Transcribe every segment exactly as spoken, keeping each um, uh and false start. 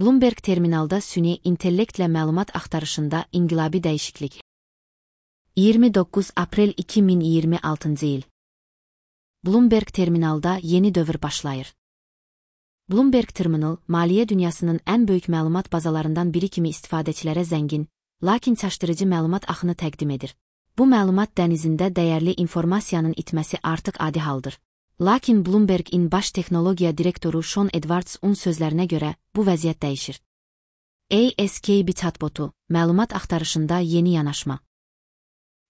Bloomberg terminalda süni intellektlə məlumat axtarışında inqilabi dəyişiklik. iyirmi doqquz aprel iki min iyirmi altıncı il. Bloomberg terminalda yeni dövr başlayır. Bloomberg Terminal, maliyyə dünyasının ən böyük məlumat bazalarından biri kimi istifadəçilərə zəngin, lakin çaşdırıcı məlumat axını təqdim edir. Bu məlumat dənizində dəyərli informasiyanın itməsi artıq adi haldır. Lakin Bloomberg-in baş texnologiya direktoru Sean Edwards-un sözlərinə görə bu vəziyyət dəyişir. A S K B chatbotu, məlumat axtarışında yeni yanaşma.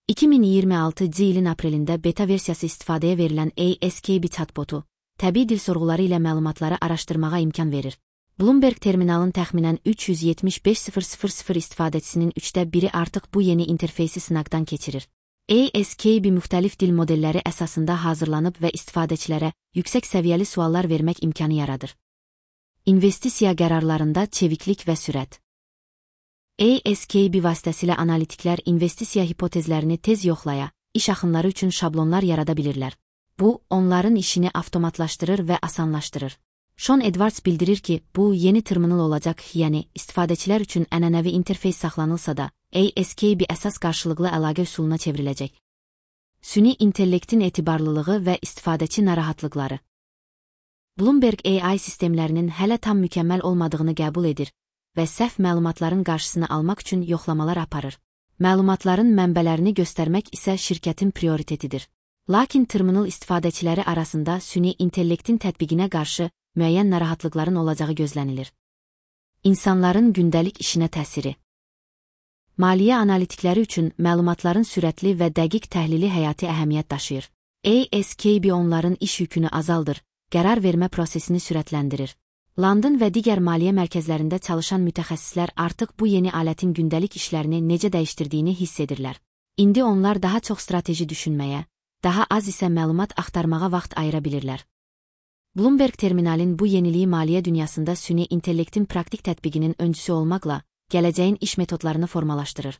iki min iyirmi altıncı ilin aprelində beta versiyası istifadəyə verilən A S K B chatbotu, təbii dil sorğuları ilə məlumatları araşdırmağa imkan verir. Bloomberg terminalın təxminən üç yüz yetmiş beş min istifadəçisinin üçdə biri artıq bu yeni interfeysi sınaqdan keçirir. A S K B müxtəlif dil modelləri əsasında hazırlanıb və istifadəçilərə yüksək səviyyəli suallar vermək imkanı yaradır. İnvestisiya qərarlarında çeviklik və sürət. A S K B vasitəsilə analitiklər investisiya hipotezlərini tez yoxlaya, iş axınları üçün şablonlar yarada bilirlər. Bu, onların işini avtomatlaşdırır və asanlaşdırır. Sean Edwards bildirir ki, bu yeni terminal olacaq, yəni istifadəçilər üçün ənənəvi interfeys saxlanılsa da, A S K B əsas qarşılıqlı əlaqə üsuluna çevriləcək. Süni intellektin etibarlılığı və istifadəçi narahatlıqları. Bloomberg A I sistemlərinin hələ tam mükəmməl olmadığını qəbul edir və səhv məlumatların qarşısını almaq üçün yoxlamalar aparır. Məlumatların mənbələrini göstərmək isə şirkətin prioritetidir. Lakin terminal istifadəçiləri arasında süni intellektin tətbiqinə qarşı müəyyən narahatlıqların olacağı gözlənilir. İnsanların gündəlik işinə təsiri. Maliyyə analitikləri üçün məlumatların sürətli və dəqiq təhlili həyati əhəmiyyət daşıyır. A S K B onların iş yükünü azaldır, qərar vermə prosesini sürətləndirir. London və digər maliyyə mərkəzlərində çalışan mütəxəssislər artıq bu yeni alətin gündəlik işlərini necə dəyişdirdiyini hiss edirlər. İndi onlar daha çox strateji düşünməyə, daha az isə məlumat axtarmağa vaxt ayıra bilirlər. Bloomberg terminalin bu yeniliyi maliyyə dünyasında süni intellektin praktik tətbiqinin öncüsü olmaqla, gələcəyin iş metodlarını formalaşdırır.